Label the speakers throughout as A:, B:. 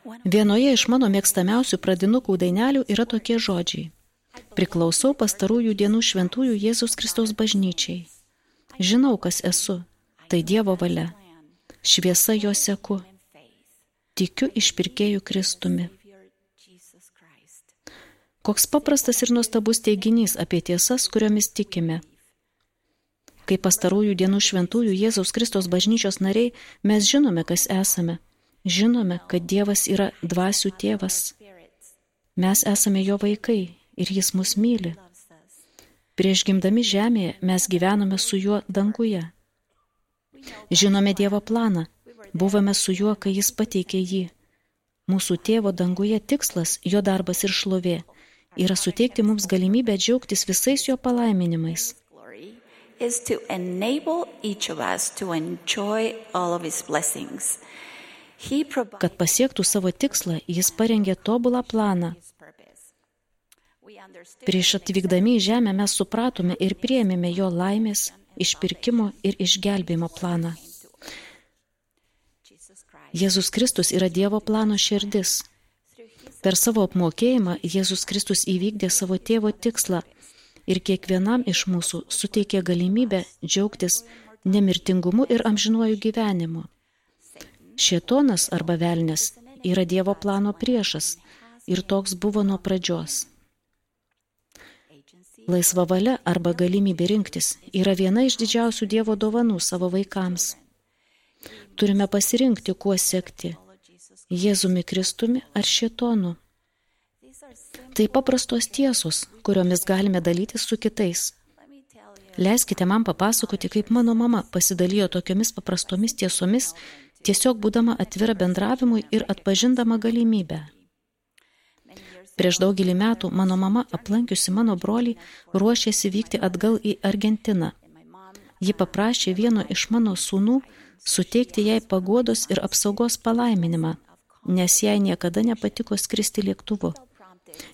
A: Vienoje iš mano mėgstamiausių pradinukų dainelių yra tokie žodžiai. Priklausau pastarųjų dienų šventųjų Jėzaus Kristaus bažnyčiai. Žinau, kas esu. Tai Dievo valia. Šviesa jo seku. Tikiu išpirkėjų Kristumi. Koks paprastas ir nuostabus teiginys apie tiesas, kuriomis tikime. Kaip pastarųjų dienų šventųjų Jėzaus Kristaus bažnyčios nariai, mes žinome, kas esame. Žinome, kad Dievas yra dvasių tėvas. Mes esame jo vaikai ir jis mus myli. Prieš gimdami žemėje mes gyvenome su juo danguje. Žinome Dievo planą. Buvome su juo, kai jis pateikė jį. Mūsų tėvo danguje tikslas, jo darbas ir šlovė, yra suteikti mums galimybę džiaugtis visais jo palaiminimais.
B: Is to enable each of us to enjoy all of his blessings.
A: Kad pasiektų savo tikslą, jis parengė tobulą planą. Prieš atvykdami į žemę mes supratome ir priėmėme jo laimės, išpirkimo ir išgelbėjimo planą. Jėzus Kristus yra Dievo plano širdis. Per savo apmokėjimą Jėzus Kristus įvykdė savo tėvo tikslą ir kiekvienam iš mūsų suteikė galimybę džiaugtis nemirtingumu ir amžinuoju gyvenimu. Šėtonas arba velnias yra Dievo plano priešas ir toks buvo nuo pradžios. Laisva valia arba galimybė rinktis yra viena iš didžiausių Dievo dovanų savo vaikams. Turime pasirinkti, kuo sekti – Jėzumi Kristumi ar šėtonu. Tai paprastos tiesos, kuriomis galime dalytis su kitais. Leiskite man papasakoti, kaip mano mama pasidalijo tokiomis paprastomis tiesomis, tiesiog būdama atvira bendravimui ir atpažindama galimybę. Prieš daugelį metų mano mama, aplankiusi mano brolį, ruošėsi vykti atgal į Argentiną. Ji paprašė vieno iš mano sūnų suteikti jai paguodos ir apsaugos palaiminimą, nes jai niekada nepatiko skristi lėktuvu.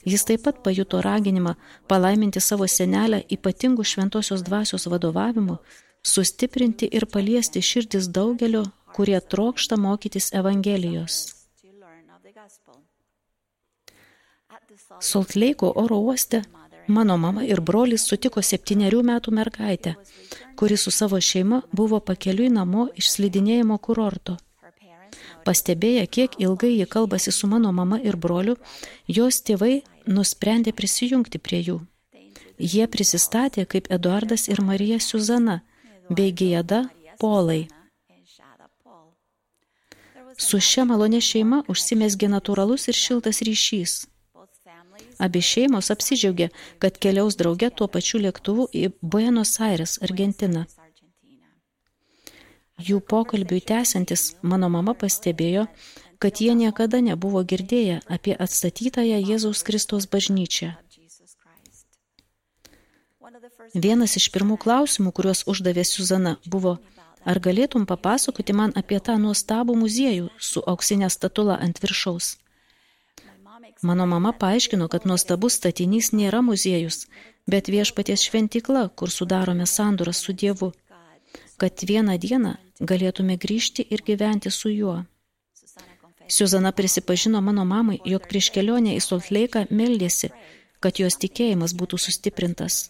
A: Jis taip pat pajuto raginimą palaiminti savo senelę ypatingų šventosios dvasios vadovavimu, sustiprinti ir paliesti širdis daugelio, kurie trokšta mokytis Evangelijos. Salt Lake'o oro uoste mano mama ir brolis sutiko 7 metų mergaitę, kuri su savo šeima buvo pakeliui namo iš slidinėjimo kurorto. Pastebėję, kiek ilgai ji kalbasi su mano mama ir broliu, jos tėvai nusprendė prisijungti prie jų. Jie prisistatė kaip Eduardas ir Marija Suzana, bei Gieda Polai. Su šia malonė šeima užsimezgė natūralus ir šiltas ryšys. Abi šeimos apsidžiaugė, kad keliaus drauge tuo pačiu lėktuvu į Buenos Aires, Argentiną. Jų pokalbiui tęsiantis, mano mama pastebėjo, kad jie niekada nebuvo girdėję apie atstatytąją Jėzaus Kristaus bažnyčią. Vienas iš pirmų klausimų, kuriuos uždavė Suzana, buvo, ar galėtum papasakoti man apie tą nuostabų muziejų su auksinė statula ant viršaus? Mano mama paaiškino, kad nuostabus statinys nėra muziejus, bet viešpaties šventykla, kur sudarome sandorą su Dievu, kad vieną dieną galėtume grįžti ir gyventi su juo. Suzana prisipažino mano mamai, jog prieš kelionę į Salt Lake'ą meldėsi, kad jos tikėjimas būtų sustiprintas.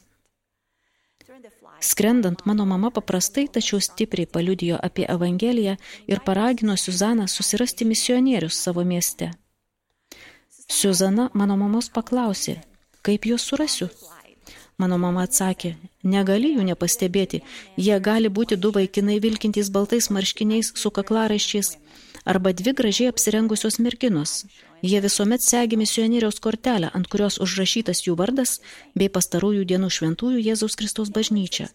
A: Skrendant, mano mama paprastai, tačiau stipriai paliudijo apie Evangeliją ir paragino Suzaną susirasti misionierius savo mieste. Suzana mano mamos paklausė, kaip juos surasiu? Mano mama atsakė, negali jų nepastebėti, jie gali būti 2 vaikinai vilkintys baltais marškiniais su kaklaraiščiais, arba 2 gražiai apsirengusios merginos. Jie visuomet segi misionieriaus kortelę, ant kurios užrašytas jų vardas, bei pastarųjų dienų šventųjų Jėzaus Kristaus bažnyčia.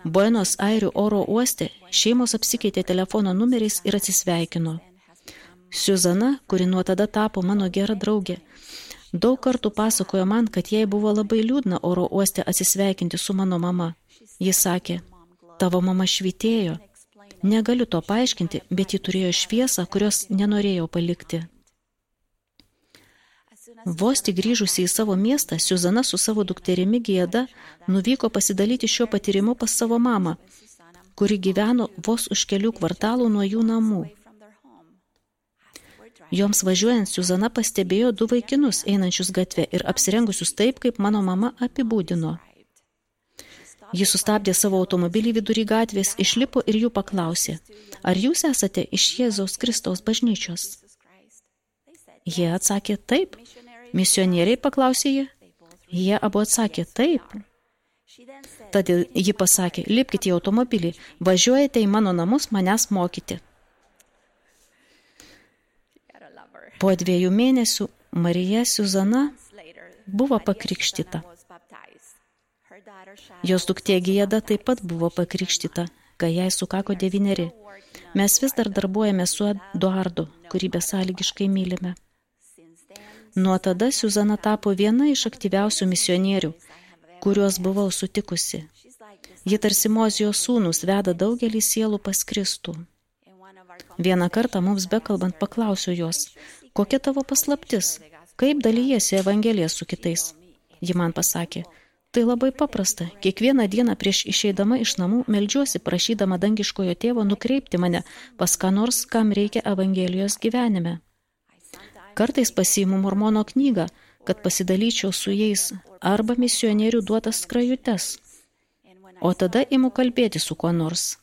A: Buenos Airių oro uoste šeimos apsikeitė telefono numeriais ir atsisveikino. Suzana, kuri nuo tada tapo mano gera draugė, daug kartų pasakojo man, kad jai buvo labai liūdna oro uoste atsisveikinti su mano mama. Jis sakė, tavo mama švytėjo. Negaliu to paaiškinti, bet ji turėjo šviesą, kurios nenorėjau palikti. Vos tik grįžusi į savo miestą, Suzana su savo dukterimi Gieda nuvyko pasidalyti šiuo patyrimu pas savo mamą, kuri gyveno vos už kelių kvartalų nuo jų namų. Joms važiuojant, Siuzana pastebėjo 2 vaikinus einančius gatvę ir apsirengusius taip, kaip mano mama apibūdino. Ji sustabdė savo automobilį vidury gatvės, išlipo ir jų paklausė, ar jūs esate iš Jėzaus Kristaus bažnyčios? Jie atsakė, taip. Misionieriai, paklausė jie? Jie abu atsakė, taip. Tada ji pasakė, lipkite į automobilį, važiuojate į mano namus manęs mokyti. Po 2 mėnesių Marija Siuzana buvo pakrikštyta. Jos duktė Gieda taip pat buvo pakrikštyta, kai jai sukako 9. Mes vis dar darbuojame su Eduardu, kurį besąlygiškai mylime. Nuo tada Siuzana tapo viena iš aktyviausių misionierių, kuriuos buvau sutikusi. Ji tarsi Mozijos sūnus veda daugelį sielų pas Kristų. Vieną kartą mums bekalbant paklausiau jos, kokia tavo paslaptis, kaip dalijasi Evangeliją su kitais. Ji man pasakė, tai labai paprasta, kiekvieną dieną prieš išeidama iš namų meldžiuosi prašydama dangiškojo tėvo nukreipti mane pas ką nors, kam reikia Evangelijos gyvenime. Kartais pasiimu mormono knygą, kad pasidalyčiau su jais arba misionierių duotas skrajutes, o tada imu kalbėti su kuo nors.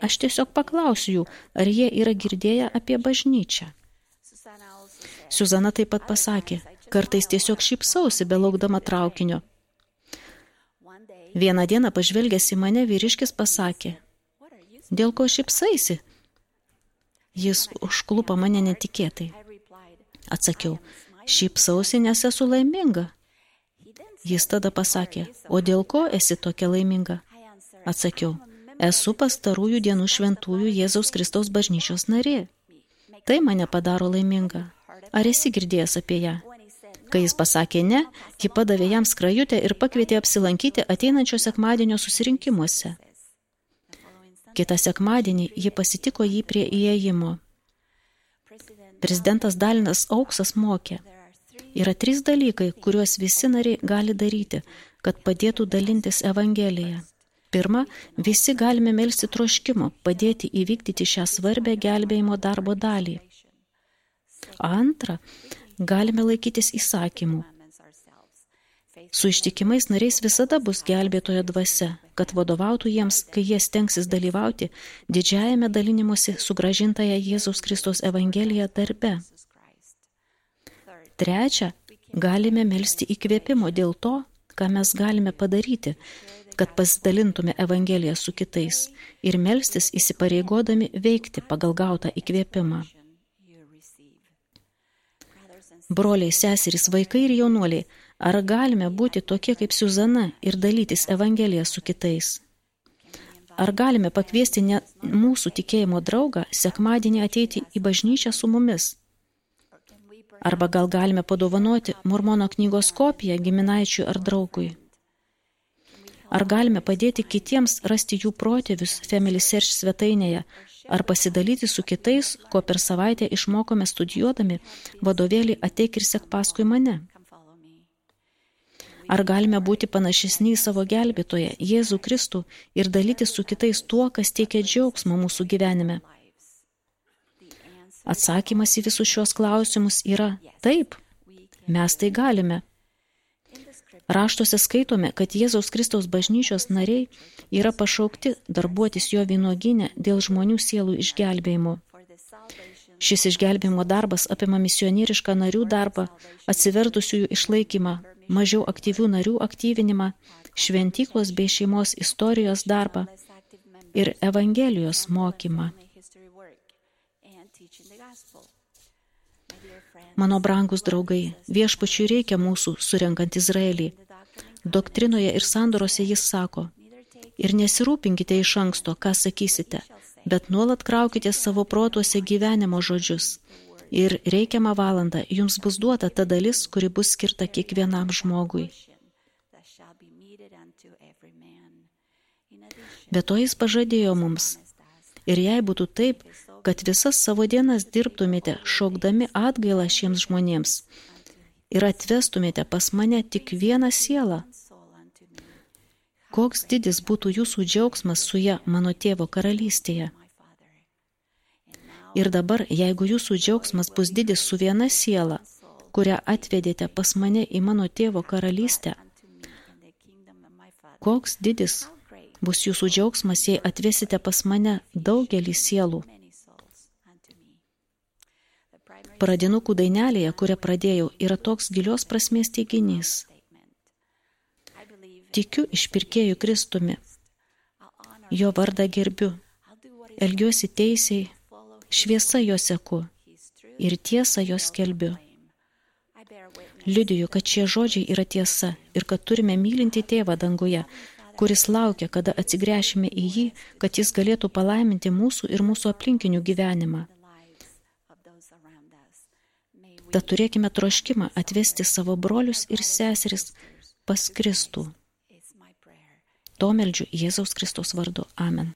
A: Aš tiesiog paklausiu jų, ar jie yra girdėję apie bažnyčią. Siuzana taip pat pasakė, kartais tiesiog šypsausi belaukdama traukinio. Vieną dieną pažvelgęs į mane vyriškis pasakė, dėl ko šypsaisi? Jis užklupo mane netikėtai. Atsakiau, šypsausi, nes esu laiminga. Jis tada pasakė, o dėl ko esi tokia laiminga? Atsakiau, esu pastarųjų dienų šventųjų Jėzaus Kristaus bažnyčios narė. Tai mane padaro laiminga. Ar esi girdėjęs apie ją? Kai jis pasakė ne, ji padavė jam skrajutę ir pakvietė apsilankyti ateinančio sekmadienio susirinkimuose. Kitą sekmadienį ji pasitiko jį prie įėjimo. Prezidentas Dalinas Auksas mokė. Yra 3 dalykai, kuriuos visi nariai gali daryti, kad padėtų dalintis Evangeliją. Pirma, visi galime melsti troškimo, padėti įvykdyti šią svarbę gelbėjimo darbo dalį. Antra, galime laikytis įsakymų. Su ištikimais nariais visada bus gelbėtojo dvasia, kad vadovautų jiems, kai jie stengsis dalyvauti didžiajame dalinimuose sugrąžintąją Jėzaus Kristaus Evangeliją darbe. Trečia, galime melsti įkvėpimo dėl to, ką mes galime padaryti, kad pasidalintume Evangeliją su kitais ir melstis įsipareigodami veikti pagal gautą įkvėpimą. Broliai, seserys, vaikai ir jaunuoliai, ar galime būti tokie kaip Siuzana ir dalytis Evangeliją su kitais? Ar galime pakviesti net mūsų tikėjimo draugą sekmadienį ateiti į bažnyčią su mumis? Arba gal galime padovanoti mormono knygos kopiją giminaičiui ar draugui? Ar galime padėti kitiems rasti jų protėvius Family Search svetainėje, ar pasidalyti su kitais, ko per savaitę išmokome studijuodami vadovėlį Ateik ir sek paskui mane? Ar galime būti panašesni į savo gelbėtoją, Jėzų Kristų, ir dalytis su kitais tuo, kas teikia džiaugsmą mūsų gyvenime? Atsakymas į visus šios klausimus yra taip, mes tai galime. Raštuose skaitome, kad Jėzaus Kristaus bažnyčios nariai yra pašaukti darbuotis jo vynuogyne dėl žmonių sielų išgelbėjimo. Šis išgelbėjimo darbas apima misionierišką narių darbą, atsivertusiųjų išlaikymą, mažiau aktyvių narių aktyvinimą, šventyklos bei šeimos istorijos darbą ir Evangelijos mokymą. Mano brangus draugai, viešpačiui reikia mūsų surenkant Izraelį. Doktrinoje ir sandorose jis sako, ir nesirūpinkite iš anksto, ką sakysite, bet nuolat kraukite savo protuose gyvenimo žodžius. Ir reikiamą valandą jums bus duota ta dalis, kuri bus skirta kiekvienam žmogui. Be to jis pažadėjo mums. Ir jei būtų taip, kad visas savo dienas dirbtumėte šaukdami atgailą šiems žmonėms ir atvestumėte pas mane tik vieną sielą, koks didis būtų jūsų džiaugsmas su ja mano tėvo karalystėje. Ir dabar, jeigu jūsų džiaugsmas bus didis su viena siela, kurią atvedėte pas mane į mano tėvo karalystę, koks didis bus jūsų džiaugsmas, jei atvesite pas mane daugelį sielų. Pradinukų dainelėje, kurią pradėjau, yra toks gilios prasmės teiginys. Tikiu išpirkėju Kristumi, jo vardą gerbiu, elgiuosi teisiai, šviesa jo seku ir tiesą jo skelbiu. Liudiju, kad šie žodžiai yra tiesa ir kad turime mylinti tėvą danguje, kuris laukia, kada atsigręšime į jį, kad jis galėtų palaiminti mūsų ir mūsų aplinkinių gyvenimą. Tad turėkime troškimą atvesti savo brolius ir seseris pas Kristų. To meldžiu Jėzaus Kristaus vardu. Amen.